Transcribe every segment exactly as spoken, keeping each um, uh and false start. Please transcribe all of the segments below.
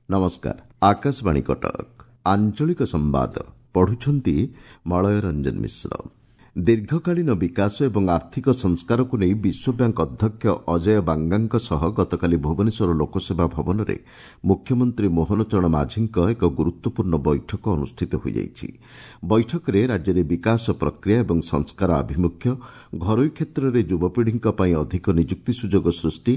ନମସ୍କାର, ଆକାଶବାଣୀ କଟକ, ଆଞ୍ଚଳିକ ସମ୍ବାଦ ପଢୁଛନ୍ତି ମଳୟ ରଞ୍ଜନ ମିଶ୍ର। ଦୀର୍ଘକାଳୀନ ବିକାଶ ଏବଂ ଆର୍ଥିକ ସଂସ୍କାରକୁ ନେଇ ବିଶ୍ୱବ୍ୟାଙ୍କ ଅଧ୍ୟକ୍ଷ ଅଜୟ ବାଙ୍ଗାଙ୍କ ସହ ଗତକାଲି ଭୁବନେଶ୍ୱର ଲୋକସେବା ଭବନରେ ମୁଖ୍ୟମନ୍ତ୍ରୀ ମୋହନ ଚରଣ ମାଝୀଙ୍କ ଏକ ଗୁରୁତ୍ୱପୂର୍ଣ୍ଣ ବୈଠକ ଅନୁଷ୍ଠିତ ହୋଇଯାଇଛି। ବୈଠକରେ ରାଜ୍ୟରେ ବିକାଶ ପ୍ରକ୍ରିୟା ଏବଂ ସଂସ୍କାର ଆଭିମୁଖ୍ୟ, ଘରୋଇ କ୍ଷେତ୍ରରେ ଯୁବପିଢ଼ିଙ୍କ ପାଇଁ ଅଧିକ ନିଯୁକ୍ତି ସୁଯୋଗ ସୃଷ୍ଟି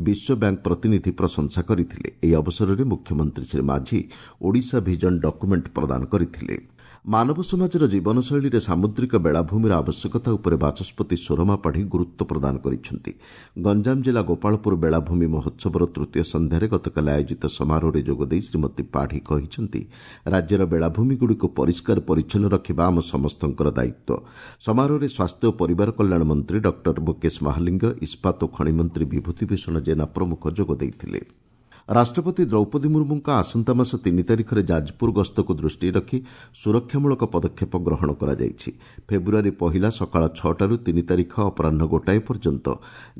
ବିଶ୍ୱବ୍ୟାଙ୍କ ପ୍ରତିନିଧି ପ୍ରଶଂସା କରିଥିଲେ। ଏହି ଅବସରରେ ମୁଖ୍ୟମନ୍ତ୍ରୀ ଶ୍ରୀ ମାଝୀ ଓଡ଼ିଶା ଭିଜନ ଡକ୍ୟୁମେଣ୍ଟ ପ୍ରଦାନ କରିଥିଲେ। ମାନବ ସମାଜର ଜୀବନଶୈଳୀରେ ସାମୁଦ୍ରିକ ବେଳାଭୂମିର ଆବଶ୍ୟକତା ଉପରେ ବାଚସ୍ପତି ସୁରମା ପାଢ଼ୀ ଗୁରୁତ୍ୱ ପ୍ରଦାନ କରିଛନ୍ତି। ଗଞ୍ଜାମ ଜିଲ୍ଲା ଗୋପାଳପୁର ବେଳାଭୂମି ମହୋତ୍ସବର ତୃତୀୟ ସନ୍ଧ୍ୟାରେ ଗତକାଲି ଆୟୋଜିତ ସମାରୋହରେ ଯୋଗଦେଇ ଶ୍ରୀମତୀ ପାଢ଼ୀ କହିଛନ୍ତି, ରାଜ୍ୟର ବେଳାଭୂମିଗୁଡ଼ିକୁ ପରିଷ୍କାର ପରିଚ୍ଛନ୍ନ ରଖିବା ଆମ ସମସ୍ତଙ୍କର ଦାୟିତ୍ୱ। ସମାରୋହରେ ସ୍ୱାସ୍ଥ୍ୟ ଓ ପରିବାର କଲ୍ୟାଣ ମନ୍ତ୍ରୀ ଡକ୍ଟର ମୁକେଶ ମହାଲିଙ୍ଗ, ଇସ୍ପାତ ଓ ଖଣି ମନ୍ତ୍ରୀ ବିଭୂତି ଭୂଷଣ ଜେନା ପ୍ରମୁଖ ଯୋଗ ଦେଇଥିଲେ। ରାଷ୍ଟ୍ରପତି ଦ୍ରୌପଦୀ ମୁର୍ମୁଙ୍କ ଆସନ୍ତା ମାସ ତିନି ତାରିଖରେ ଯାଜପୁର ଗସ୍ତକୁ ଦୃଷ୍ଟିରେ ରଖି ସୁରକ୍ଷାମୂଳକ ପଦକ୍ଷେପ ଗ୍ରହଣ କରାଯାଇଛି। ଫେବୃଆରୀ ପହିଲା ସକାଳ ଛଅଟାରୁ ତିନି ତାରିଖ ଅପରାହ୍ନ ଗୋଟାଏ ପର୍ଯ୍ୟନ୍ତ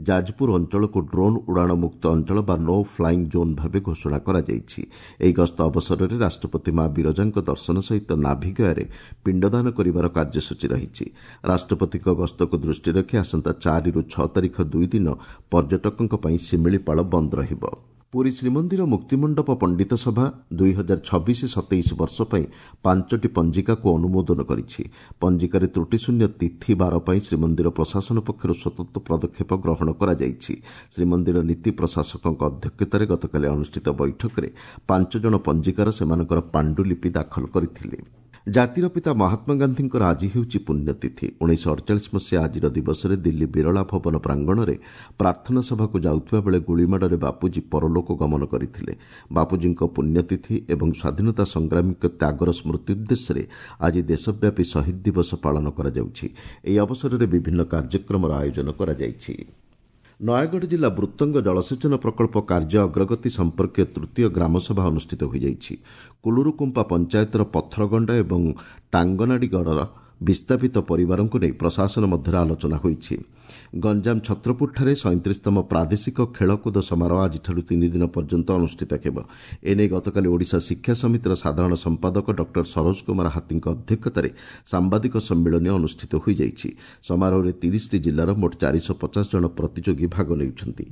ଯାଜପୁର ଅଞ୍ଚଳକୁ ଡ୍ରୋନ୍ ଉଡ଼ାଣ ମୁକ୍ତ ଅଞ୍ଚଳ ବା ନୋ ଫ୍ଲାଇଂ ଜୋନ୍ ଭାବେ ଘୋଷଣା କରାଯାଇଛି। ଏହି ଗସ୍ତ ଅବସରରେ ରାଷ୍ଟ୍ରପତି ମା ବିରଜାଙ୍କ ଦର୍ଶନ ସହିତ ନାଭିଗୟାରେ ପିଣ୍ଡଦାନ କରିବାର କାର୍ଯ୍ୟସୂଚୀ ରହିଛି। ରାଷ୍ଟ୍ରପତିଙ୍କ ଗସ୍ତକୁ ଦୃଷ୍ଟିରେ ରଖି ଆସନ୍ତା ଚାରିରୁ ଛଅ ତାରିଖ ଦୁଇ ଦିନ ପର୍ଯ୍ୟଟକଙ୍କ ପାଇଁ ଶିମିଳିପାଳ ବନ୍ଦ ରହିବ। ପୁରୀ ଶ୍ରୀମନ୍ଦିର ମୁକ୍ତିମଣ୍ଡପ ପଣ୍ଡିତ ସଭା ଦୁଇ ହଜାର ଛବିଶ ସତେଇଶ ବର୍ଷ ପାଇଁ ପାଞ୍ଚଟି ପଞ୍ଜିକାକୁ ଅନୁମୋଦନ କରିଛି। ପଞ୍ଜିକାରେ ତ୍ରୁଟିଶୂନ୍ୟ ତିଥି ବାର ପାଇଁ ଶ୍ରୀମନ୍ଦିର ପ୍ରଶାସନ ପକ୍ଷରୁ ସ୍ୱତନ୍ତ୍ର ପଦକ୍ଷେପ ଗ୍ରହଣ କରାଯାଇଛି। ଶ୍ରୀମନ୍ଦିର ନୀତି ପ୍ରଶାସକଙ୍କ ଅଧ୍ୟକ୍ଷତାରେ ଗତକାଲି ଅନୁଷ୍ଠିତ ବୈଠକରେ ପାଞ୍ଚ ଜଣ ପଞ୍ଜିକାର ସେମାନଙ୍କର ପାଣ୍ଡୁଲିପି ଦାଖଲ କରିଥିଲେ। ଜାତିର ପିତା ମହାତ୍ମା ଗାନ୍ଧୀଙ୍କର ଆଜି ହେଉଛି ପୁଣ୍ୟତିଥି। ଉଣେଇଶହ ଅଡ଼ଚାଳିଶ ମସିହା ଆଜିର ଦିବସରେ ଦିଲ୍ଲୀ ବିରଳା ଭବନ ପ୍ରାଙ୍ଗଣରେ ପ୍ରାର୍ଥନା ସଭାକୁ ଯାଉଥିବା ବେଳେ ଗୁଳିମାଡ଼ରେ ବାପୁଜୀ ପରଲୋକ ଗମନ କରିଥିଲେ। ବାପୁଜୀଙ୍କ ପୁଣ୍ୟତିଥି ଏବଂ ସ୍ୱାଧୀନତା ସଂଗ୍ରାମୀଙ୍କ ତ୍ୟାଗର ସ୍ମୃତି ଉଦ୍ଦେଶ୍ୟରେ ଆଜି ଦେଶବ୍ୟାପୀ ଶହୀଦ ଦିବସ ପାଳନ କରାଯାଉଛି। ଏହି ଅବସରରେ ବିଭିନ୍ନ କାର୍ଯ୍ୟକ୍ରମର ଆୟୋଜନ କରାଯାଇଛି। ନୟାଗଡ଼ ଜିଲ୍ଲା ବୃତ୍ତଙ୍ଗ ଜଳସେଚନ ପ୍ରକଳ୍ପ କାର୍ଯ୍ୟ ଅଗ୍ରଗତି ସମ୍ପର୍କୀୟ ତୃତୀୟ ଗ୍ରାମସଭା ଅନୁଷ୍ଠିତ ହୋଇଯାଇଛି। କୁଲୁରୁକୁମ୍ପା ପଞ୍ଚାୟତର ପଥରଗଣ୍ଡ ଏବଂ ଟାଙ୍ଗନାଡ଼ିଗଡ଼ର ବିସ୍ଥାପିତ ପରିବାରଙ୍କୁ ନେଇ ପ୍ରଶାସନ ମଧ୍ୟରେ ଆଲୋଚନା ହୋଇଛି। ଗଞ୍ଜାମ ଛତ୍ରପୁରଠାରେ ସଇଁତିରିଶତମ ପ୍ରାଦେଶିକ ଖେଳକୁଦ ସମାରୋହ ଆଜିଠାରୁ ତିନି ଦିନ ପର୍ଯ୍ୟନ୍ତ ଅନୁଷ୍ଠିତ ହେବ। ଏନେଇ ଗତକାଲି ଓଡ଼ିଶା ଶିକ୍ଷା ସମିତିର ସାଧାରଣ ସମ୍ପାଦକ ଡକ୍ଟର ସରୋଜ କୁମାର ହାତୀଙ୍କ ଅଧ୍ୟକ୍ଷତାରେ ସାମ୍ବାଦିକ ସମ୍ମିଳନୀ ଅନୁଷ୍ଠିତ ହୋଇଯାଇଛି। ସମାରୋହରେ ତିରିଶଟି ଜିଲ୍ଲାର ମୋଟ ଚାରିଶହ ପଚାଶ ଜଣ ପ୍ରତିଯୋଗୀ ଭାଗ ନେଉଛନ୍ତି।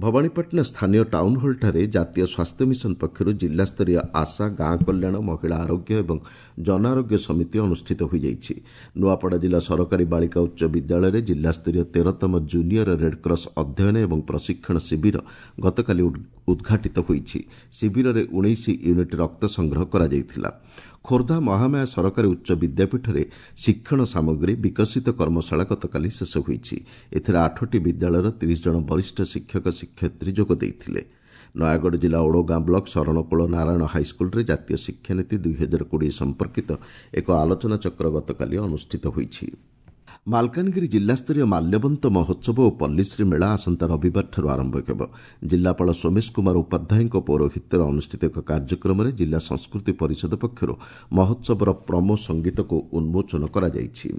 ଭବାନୀପାଟଣା ସ୍ଥାନୀୟ ଟାଉନ୍ ହଲ୍ଠାରେ ଜାତୀୟ ସ୍ୱାସ୍ଥ୍ୟ ମିଶନ ପକ୍ଷରୁ ଜିଲ୍ଲାସ୍ତରୀୟ ଆଶା, ଗାଁ କଲ୍ୟାଣ, ମହିଳା ଆରୋଗ୍ୟ ଏବଂ ଜନ ଆରୋଗ୍ୟ ସମିତି ଅନୁଷ୍ଠିତ ହୋଇଯାଇଛି। ନୂଆପଡ଼ା ଜିଲ୍ଲା ସରକାରୀ ବାଳିକା ଉଚ୍ଚ ବିଦ୍ୟାଳୟରେ ଜିଲ୍ଲାସ୍ତରୀୟ ତେରତମ ଜୁନିୟର ରେଡ୍କ୍ରସ୍ ଅଧ୍ୟୟନ ଏବଂ ପ୍ରଶିକ୍ଷଣ ଶିବିର ଗତକାଲି ଉଦ୍ଘାଟିତ ହୋଇଛି। ଶିବିରରେ ଉଣେଇଶ ୟୁନିଟ୍ ରକ୍ତ ସଂଗ୍ରହ କରାଯାଇଥିଲା। ଖୋର୍ଦ୍ଧା ମହାମାୟା ସରକାରୀ ଉଚ୍ଚ ବିଦ୍ୟାପୀଠରେ ଶିକ୍ଷଣ ସାମଗ୍ରୀ ବିକଶିତ କର୍ମଶାଳା ଗତକାଲି ଶେଷ ହୋଇଛି। ଏଥିରେ ଆଠଟି ବିଦ୍ୟାଳୟର ତିରିଶ ଜଣ ବରିଷ୍ଠ ଶିକ୍ଷକ ଶିକ୍ଷୟିତ୍ରୀ ଯୋଗ ଦେଇଥିଲେ। ନୟାଗଡ଼ ଜିଲ୍ଲା ଓଡ଼ଗାଁ ବ୍ଲକ ଶରଣକୁଳ ନାରାୟଣ ହାଇସ୍କୁଲରେ ଜାତୀୟ ଶିକ୍ଷାନୀତି ଦୁଇ ହଜାର କୋଡ଼ିଏ ସମ୍ପର୍କିତ ଏକ ଆଲୋଚନାଚକ୍ର ଗତକାଲି ଅନୁଷ୍ଠିତ ହୋଇଛି। ମାଲକାନଗିରି ଜିଲ୍ଲାସ୍ତରୀୟ ମାଲ୍ୟବନ୍ତ ମହୋତ୍ସବ ଓ ପଲ୍ଲୀଶ୍ରୀ ମେଳା ଆସନ୍ତା ରବିବାରଠାରୁ ଆରମ୍ଭ ହେବ। ଜିଲ୍ଲାପାଳ ସୋମେଶ କୁମାର ଉପାଧ୍ୟାୟଙ୍କ ପୌରୋହିତ୍ୟରେ ଅନୁଷ୍ଠିତ ଏକ କାର୍ଯ୍ୟକ୍ରମରେ ଜିଲ୍ଲା ସଂସ୍କୃତି ପରିଷଦ ପକ୍ଷରୁ ମହୋତ୍ସବର ପ୍ରମୋ ସଙ୍ଗୀତକୁ ଉନ୍ମୋଚନ କରାଯାଇଛି।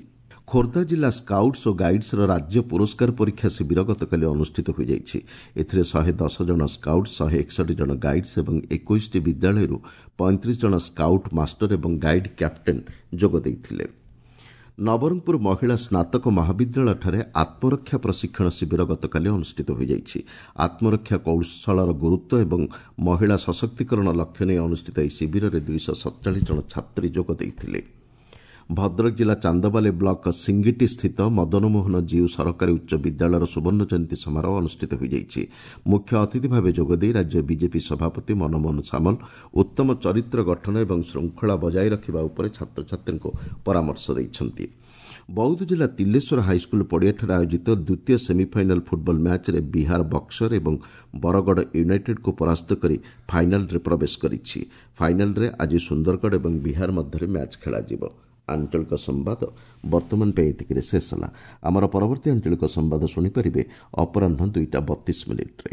ଖୋର୍ଦ୍ଧା ଜିଲ୍ଲା ସ୍କାଉଟ୍ସ ଓ ଗାଇଡ୍ସର ରାଜ୍ୟ ପୁରସ୍କାର ପରୀକ୍ଷା ଶିବିର ଗତକାଲି ଅନୁଷ୍ଠିତ ହୋଇଯାଇଛି। ଏଥିରେ ଶହେ ଦଶ ଜଣ ସ୍କାଉଟ୍, ଶହେ ଏକଷଠି ଜଣ ଗାଇଡ୍ସ ଏବଂ ଏକୋଇଶଟି ବିଦ୍ୟାଳୟରୁ ପଇଁତିରିଶ ଜଣ ସ୍କାଉଟ୍ ମାଷ୍ଟର ଏବଂ ଗାଇଡ୍ କ୍ୟାପ୍ଟେନ୍ ଯୋଗ ଦେଇଥିଲେ। ନବରଙ୍ଗପୁର ମହିଳା ସ୍ନାତକ ମହାବିଦ୍ୟାଳୟଠାରେ ଆତ୍ମରକ୍ଷା ପ୍ରଶିକ୍ଷଣ ଶିବିର ଗତକାଲି ଅନୁଷ୍ଠିତ ହୋଇଯାଇଛି। ଆତ୍ମରକ୍ଷା କୌଶଳର ଗୁରୁତ୍ୱ ଏବଂ ମହିଳା ସଶକ୍ତିକରଣ ଲକ୍ଷ୍ୟ ନେଇ ଅନୁଷ୍ଠିତ ଏହି ଶିବିରରେ ଦୁଇଶହ ସତଚାଳିଶ ଜଣ ଛାତ୍ରୀ ଯୋଗ ଦେଇଥିଲେ। ଭଦ୍ରକ ଜିଲ୍ଲା ଚାନ୍ଦବାଲି ବ୍ଲକ ସିଙ୍ଗିଟି ସ୍ଥିତ ମଦନମୋହନ ଜୀଉ ସରକାରୀ ଉଚ୍ଚ ବିଦ୍ୟାଳୟର ସୁବର୍ଣ୍ଣ ଜୟନ୍ତୀ ସମାରୋହ ଅନୁଷ୍ଠିତ ହୋଇଯାଇଛି। ମୁଖ୍ୟ ଅତିଥି ଭାବେ ଯୋଗଦେଇ ରାଜ୍ୟ ବିଜେପି ସଭାପତି ମନମୋହନ ସାମଲ ଉତ୍ତମ ଚରିତ୍ର ଗଠନ ଏବଂ ଶୃଙ୍ଖଳା ବଜାୟ ରଖିବା ଉପରେ ଛାତ୍ରଛାତ୍ରୀଙ୍କୁ ପରାମର୍ଶ ଦେଇଛନ୍ତି। ବୌଦ୍ଧ ଜିଲ୍ଲା ତିଲେଶ୍ୱର ହାଇସ୍କୁଲ ପଡ଼ିଆଠାରେ ଆୟୋଜିତ ଦ୍ୱିତୀୟ ସେମିଫାଇନାଲ୍ ଫୁଟବଲ ମ୍ୟାଚ୍ରେ ବିହାର ବକ୍ସର ଏବଂ ବରଗଡ଼ ୟୁନାଇଟେଡ୍କୁ ପରାସ୍ତ କରି ଫାଇନାଲ୍ରେ ପ୍ରବେଶ କରିଛି। ଫାଇନାଲ୍ରେ ଆଜି ସୁନ୍ଦରଗଡ଼ ଏବଂ ବିହାର ମଧ୍ୟରେ ମ୍ୟାଚ୍ ଖେଳାଯିବ। ଆଞ୍ଚଳିକ ସମ୍ବାଦ ବର୍ତ୍ତମାନ ପାଇଁ ଏତିକିରେ ଶେଷ ହେଲା। ଆମର ପରବର୍ତ୍ତୀ ଆଞ୍ଚଳିକ ସମ୍ବାଦ ଶୁଣିପାରିବେ ଅପରାହ୍ନ ଦୁଇଟା ବତିଶ ମିନିଟ୍ରେ।